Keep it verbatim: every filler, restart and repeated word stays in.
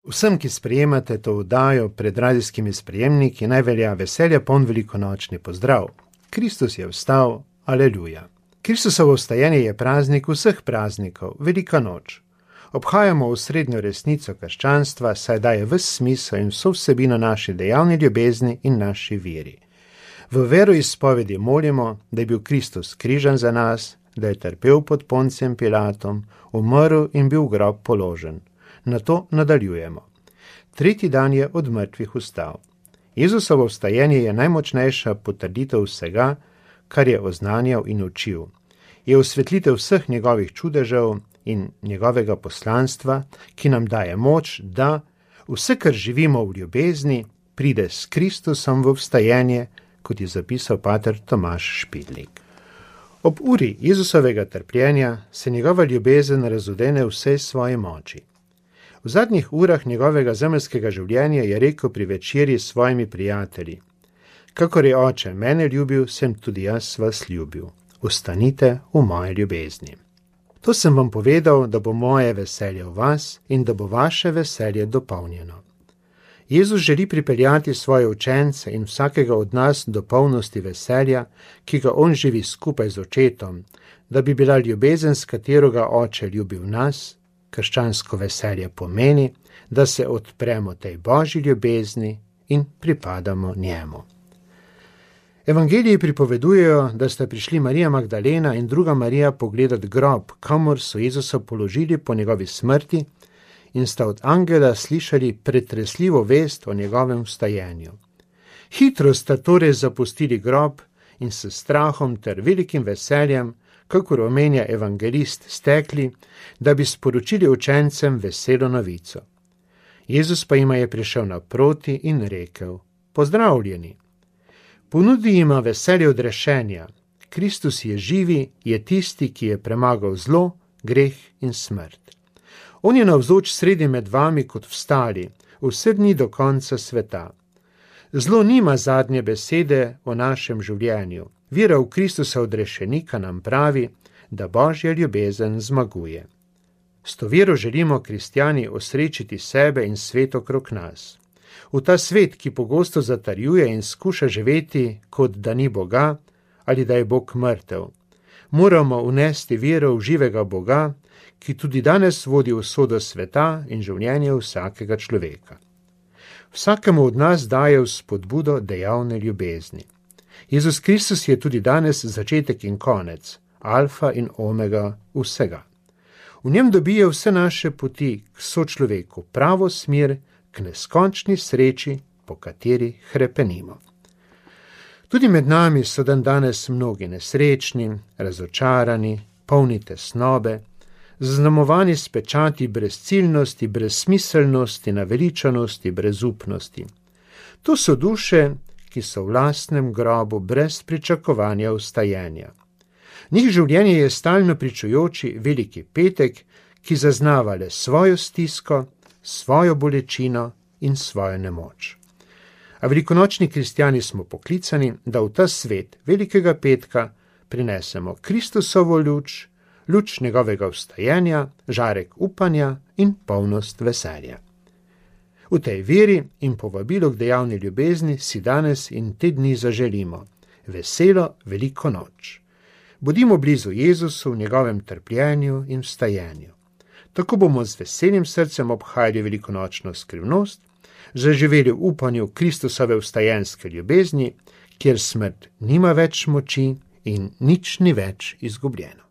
Vsem, ki sprejemate to oddajo pred radijskimi sprejemniki, naj velja veselja poln velikonočni pozdrav. Kristus je vstal, aleluja. Kristusovo vstajenje je praznik vseh praznikov, velika noč. Obhajamo osrednjo resnico krščanstva, saj daje ves smisel in vso vsebino naši dejavni ljubezni in naši veri. V veroizpovedi molimo, da je bil Kristus križan za nas, da je trpel pod Poncijem Pilatom, umrl in bil v grob položen. Na to nadaljujemo. Tretji dan je od mrtvih vstal. Jezusovo vstajenje je najmočnejša potrditev vsega, kar je oznanjal in učil. Je osvetlitev vseh njegovih čudežev in njegovega poslanstva, ki nam daje moč, da vse, kar živimo v ljubezni, pride s Kristusom v vstajenje, kot je zapisal pater Tomaž Špidlik. Ob uri Jezusovega trpljenja se njegova ljubezen razodene vsej svoji moči. V zadnjih urah njegovega zemeljskega življenja je rekel pri večerji s svojimi prijatelji: kakor je oče mene ljubil, sem tudi jaz vas ljubil. Ostanite v moje ljubezni. To sem vam povedal, da bo moje veselje v vas in da bo vaše veselje dopolnjeno. Jezus želi pripeljati svoje učence in vsakega od nas do polnosti veselja, ki ga on živi skupaj z očetom, da bi bila ljubezen, s katero ga oče ljubil nas. Krščansko veselje pomeni, da se odpremo tej božji ljubezni in pripadamo njemu. Evangeliji pripovedujejo, da sta prišli Marija Magdalena in druga Marija pogledat grob, kamor so Jezusa položili po njegovi smrti, in sta od angela slišali pretresljivo vest o njegovem vstajenju. Hitro sta torej zapustili grob in s strahom ter velikim veseljem, kakor omenja evangelist, stekli, da bi sporočili učencem veselo novico. Jezus pa jima je prišel naproti in rekel: pozdravljeni. Ponudi jima veselje odrešenja. Kristus je živi, je tisti, ki je premagal zlo, greh in smrt. On je navzoč sredi med vami kot vstali, vse dni do konca sveta. Zlo nima zadnje besede o našem življenju. Vera v Kristusa odrešenika nam pravi, da božja ljubezen zmaguje. S to vero želimo kristjani osrečiti sebe in svet okrog nas. V ta svet, ki pogosto zatarjuje in skuša živeti, kot da ni Boga ali da je Bog mrtev. Moramo unesti vero v živega Boga, ki tudi danes vodi usodo sveta in življenje vsakega človeka. Vsakemu od nas daje vzpodbudo dejavne ljubezni. Jezus Kristus je tudi danes začetek in konec, alfa in omega vsega. V njem dobije vse naše poti k sočloveku pravo smer, k neskončni sreči, po kateri hrepenimo. Tudi med nami so dan danes mnogi nesrečni, razočarani, polni tesnobe, zaznamovani s pečati brezciljnosti, brezsmiselnosti, naveličanosti, brezupnosti. To so duše, ki so v lastnem grobu brez pričakovanja vstajenja. Njih življenje je stalno pričujoči veliki petek, ki zaznava le svojo stisko, svojo bolečino in svojo nemoč. A velikonočni kristjani smo poklicani, da v ta svet velikega petka prinesemo Kristusovo luč, luč njegovega vstajenja, žarek upanja in polnost veselja. V tej veri in povabilu k dejavni ljubezni si danes in te dni zaželimo veselo veliko noč. Bodimo blizu Jezusu v njegovem trpljenju in vstajenju. Tako bomo z veselim srcem obhajali velikonočno skrivnost, zaživeli v upanju Kristusove vstajenske ljubezni, kjer smrt nima več moči in nič ni več izgubljeno.